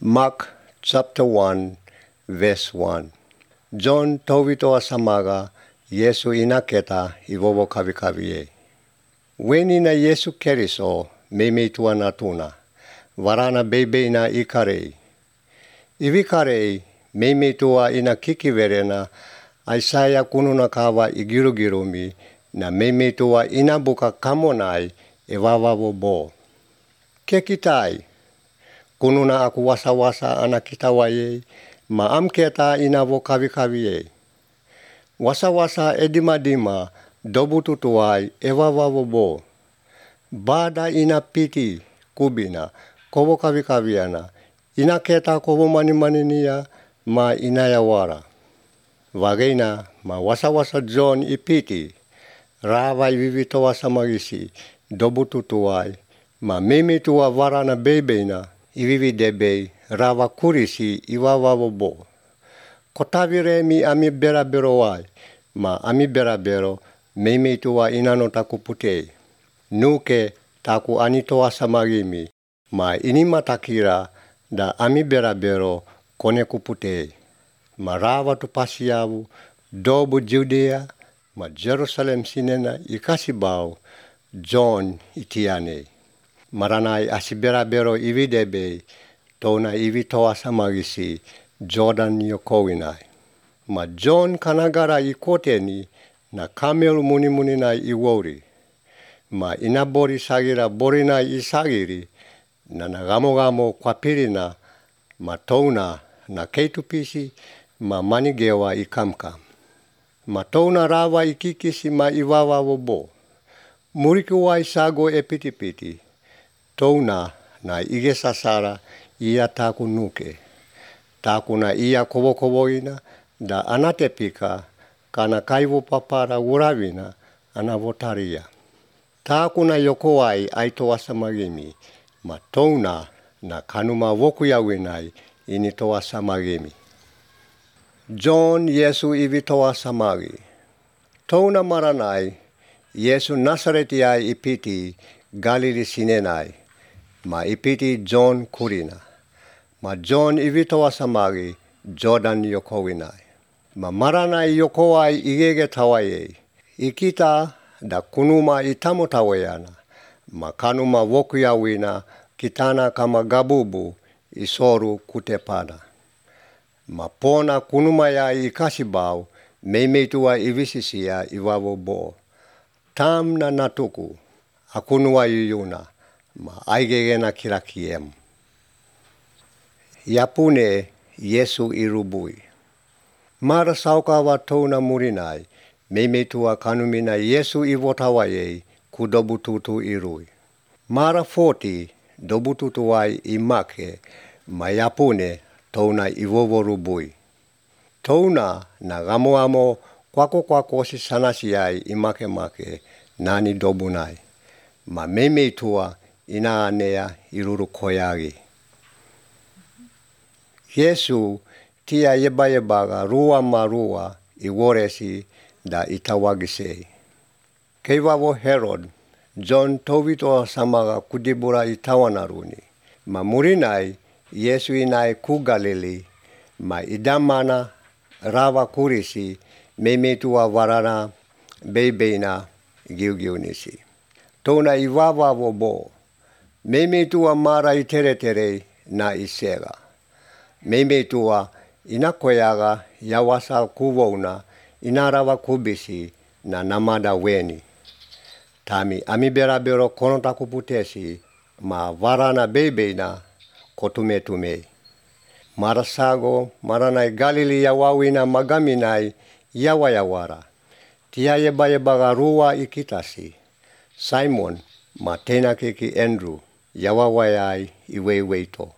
Mark chapter 1, verse 1. John towitoa samaga Yesu inaketa ivovo kavi-kaviye. Weni na Yesu Keriso memetua natuna, varana bebe na ikarei. Ivikarei memetua ina kikiverena Aisaya kununa kawa igirugirumi na memetua ina buka kamonai evavavo bo. Kekitai, kununa aku wasa-wasa anak kita waye, ma amketa ina vo kavi-kaviye. Wasa-wasa edima-dima dobututuai evavavo bo. Bada ina piti kubina kovo kavi-kaviana, ina keta kovo mani-maninia ma inayawara. Vagena ma wasa-wasa John ipiti, rava ivivitoa samagisi dobututuai, ma memetua varana bebeina ivividebe rava kurisi ivavavo bo. Kotavire mi ami beraberoai, ma ami berabero memetua inano taku putei. Nuke taku anitoa samagimi, ma inima takira da ami berabero kone kuputei. Ma rava tu pasiavu, dobu Judea, ma Jerusalem sinena ikasibau, John itiane. Maranai asiberabero ividebe, tona ivitoa samagisi, Jordan yokowinai. Ma John kanagara ikoteni, na kamel muni-munina iwori. Ma inabori sagira borina isagiri, na nagamo-gamo kwapirina, ma tona na keitupisi, ma manigewa ikamkam. Ma tona rava ikikisi ma ivavavo bo. Murikuwai sago epiti-piti. Tona na ige sasara ia taku nuke. Taku na ia kovo-kovoina da anatepika kana kaivo papara uravina anavotaria. Taku na yokowai aitoa samagimi, ma tona na kanuma wokuyawinai initoa samagimi. John Yesu ivitoa samagi. Tona maranai, Yesu Nasaretiai ipiti Galili sinenai, ma ipiti John kurina. Ma John ivitoa samagi Jordan yokowinai. Ma maranai yokowai igege tawaye, ikita da kunuma itamotawayana, ma kanuma wokuyawina kitana kama gabubu isoru kutepada. Ma pona kunumaya ikasibau, memetua ivisisia ivavo bo. Tam na natuku, akunua yuyuna, ma aigegena kirakiem. Yapune Yesu irubui. Mara saukawa tona murinai, memetua kanumina Yesu ivotawaye kudobututu irui. Mara 40 dobututuai imake, ma yapune tona ivovo rubui. Tona na gamo-amo kwako-kwakosi sanasiai imake-make nani dobunai. Ma memetua ina anea iruru koyagi. Yesu tia yeba-yebaga rua marua iworesi da itawagisei. Keivavo Herod, John towitoa samaga kudibura itawanaruni. Ma murinai Yesu inai ku Galili, ma idamana rava kurisi memetua varana bebeina giugiunisi. Tona ivavavo bo, memetua mara itere-tere na isega. Memetua inakoyaga yawasa kuvouna inarava kubisi na namada weni. Tami ami berabero konotaku putesi, ma varana bebeina kotume-tume. Marasago maranai Galili yawawina magaminai yawayawara. Tia yeba-yebaga rua ikitasi. Simon ma tena keki Andrew yawawayai iweiweito.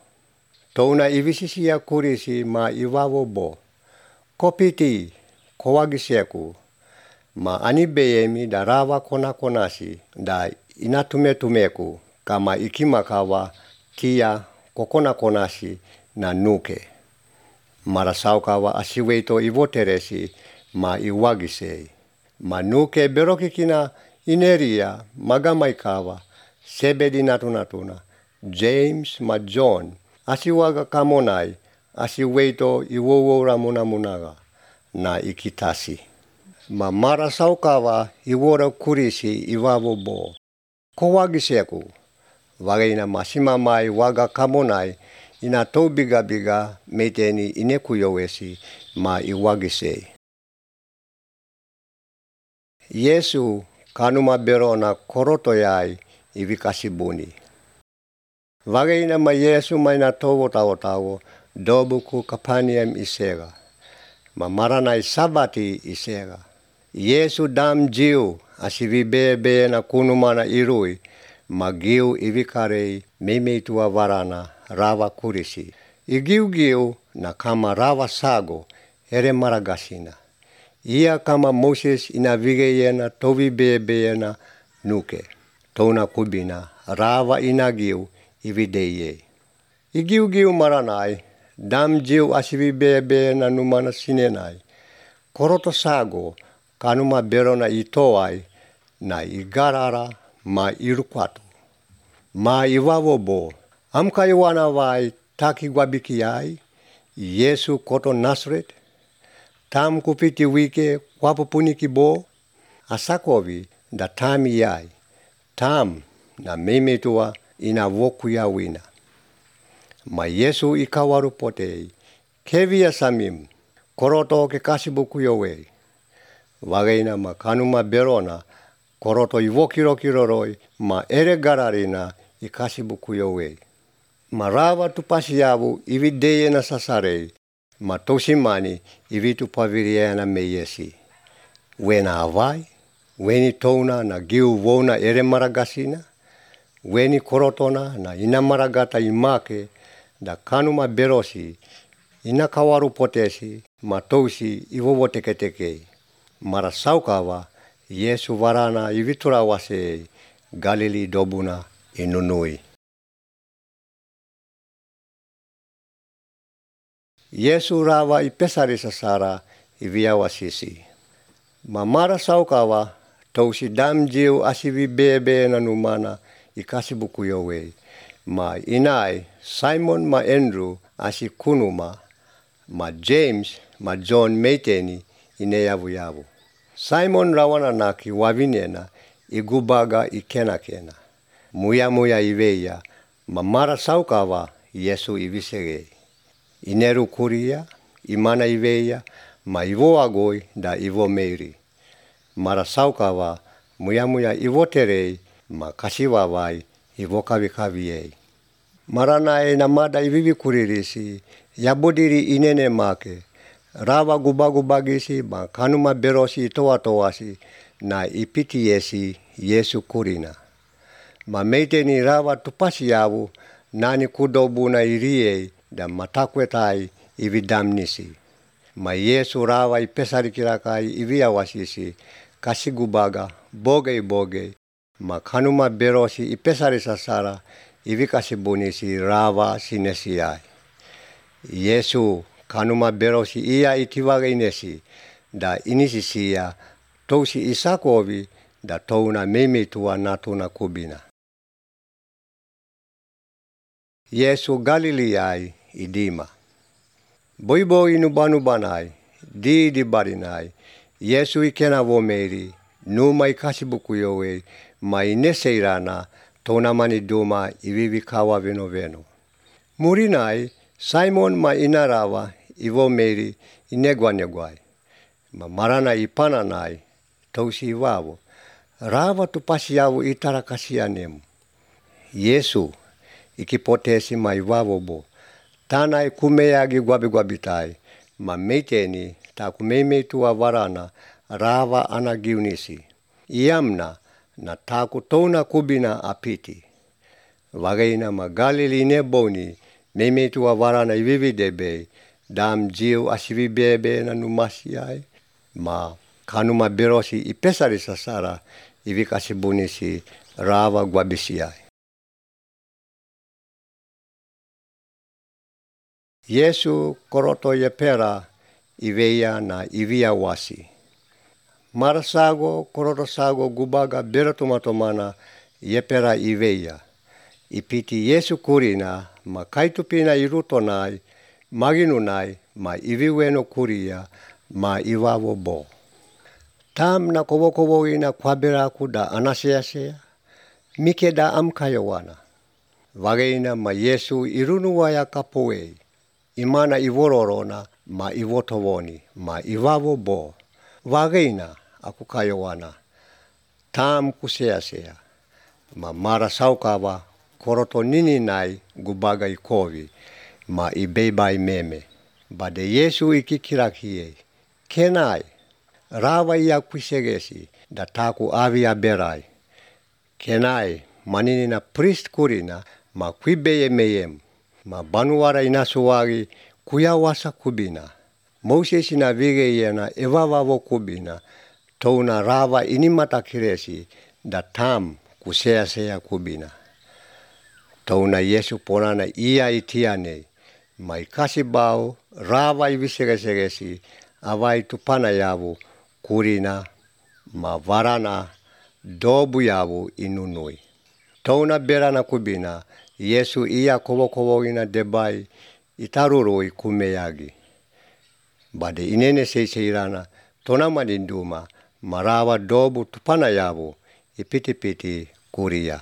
Tona ivisisia kurisi ma ivavo bo. Kopiti kowagiseku. Ma anibeyemi da rava kona-konasi da inatume-tumeku kama ikimakawa tia kokona-konasi na nuke. Marasaukawa asiweito ivoteresi ma iwagisei. Ma nuke berokikina ineria magamaikawa sebedi natuna-tuna James ma John asiwaga kamonai, asiweito iwowora munamunaga, na ikitasi. Ma mara saukawa iwora kurisi iwavo bo. Kowagiseku, wagaina masimamai waga kamonai, ina to biga meteni inekuyowesi ma iwagisei. Yesu kanuma berona korotoyai ivikasibuni. Wagaina ma Yesu maina towo tawo dobuku Kapernaum isega. Ma maranai sabati isega. Yesu dam jiu asivibebe na kunumana irui magiu ivikarei memeitua varana rava kurisi. Igiu na kama rava sago ere maragasina. Ia kama Moses inavigeyena tovibebeyena nuke. Tona kubina rava inagiu ivideye. Igiu maranai dam jiu asivibebeyena numana sinenai. Koroto sago kanuma berona itoai na igarara ma irukwatu. Ma iwavobo amka iwana vai taki gwabikiai Yesu koto Nazaret. Tam kupiti wike kwapupuniki bo asakovi da tam iai. Tam na memetua ina woku ya wina. Ma Yesu ikawaru potei kevia samim koroto ke kasibuku yowe. Wagaina ma kanuma berona koroto iwokirokiroroi ma ere gararina ikasibuku yowe. Ma rava tupasiavu ivideyena sasarei ma tosimani ivitu paviriana meyesi. Wena avai, weni tona na giu wona ere maragasina, weni korotona na ina maragata imake da kanuma berosi ina kawaru potesi ma tosi iwowo teke. Mara saukawa Yesu varana ivitura wase Galili dobuna inunui. Yesu rava ipesari sasara iviawasisi. Ma mara saukawa tosi dam jiu asivibebe na numana ikasibuku yowe. Ma inai Simon ma Andrew asikunuma ma James ma John meiteni ineyavu. Simon rawana naki wavinena igubaga ikena. Muya iveya ma mara saukawa Yesu ivisege. Ineru kuria, imana iveya, ma ivo agoi da ivo meiri. Mara saukawa muya ivo terei ma kasiwawai ivo kavikaviei. Maranae namada ivivi kuririsi, yabodiri inene make, rava gubagisi ma kanuma berosi toasi na ipitiesi Yesu kurina. Ma meiteni rava tupasiavu nani kudobuna iriei da matakwetai ividamnisi. Ma Yesu rava ipesarikirakai iviawasisi kasigubaga boge ma kanuma berosi ipesari sasara ivikasibunisi rava sinesiai. Yesu kanuma berosi ia itiwagenesi da inisisia tosi isakovi da touna memetua natuna kubina. Yesu Galiliai idima. Boibo inubanubanai, di barinai, Yesu ikena vomeri, numa ikasibuku yowe, ma ineseirana tonamani duma ivivikawa veno. Murinai, Simon ma inarava ivomeri inegwanegwai, ma marana ipananai, tosi iwavo, rava tupasiavu itarakasianemu. Yesu ikipotesi ma iwavobo, tanai kumeyagi gwabitai, ma meiteni takumeimetua varana rava anagiunisi. Iamna na taku tona kubina apiti. Wagaina ma Galili neboni memetua varana ivividebe dam jiu asivibebe na numasiai ma kanuma berosi ipesari sasara ivikasibunisi rava gwabisiai. Yesu koroto yepera iveya na iviawasi. Marasago koroto sago gubaga beratomatomana yepera iveya. Ipiti Yesu kurina ma kaitupina irutonai, maginunai, ma iviweno kuria, ma ivavo bo. Tam na kovokovoina kwaberaku da anaseasea, mike da amkayowana. Vageina ma Yesu irunuwaya kapoei, imana ivororona ma ivotovoni, ma ivavo bo. Vageina aku kayowana, tam kuseasea, ma mara saukava koroto nininai gubaga ikovi, ma ibeibai meme. Bade Yesu ikikirakie, kenai, rava ia kuisegesi, da taku avi aberai. Kenai, maninina priest kurina, ma kuibeye meyem, ma banuara inasuwagi kuyawasa kubina. Moses ina vige yena evavavo kubina, touna rava inimata kiresi, da tam kuseasea kubina. Touna Yesu ponana ia itiane, ma ikasibau rava ivisegesegesi, avai tupana yavu kurina, ma varana dobu yavu inunui. Touna berana kubina, Yesu ia kovokovogina debai itarurui kumeyagi. Bade inene seiseirana tonamadinduma, marava dobu tupana yavu ipiti-piti kuria.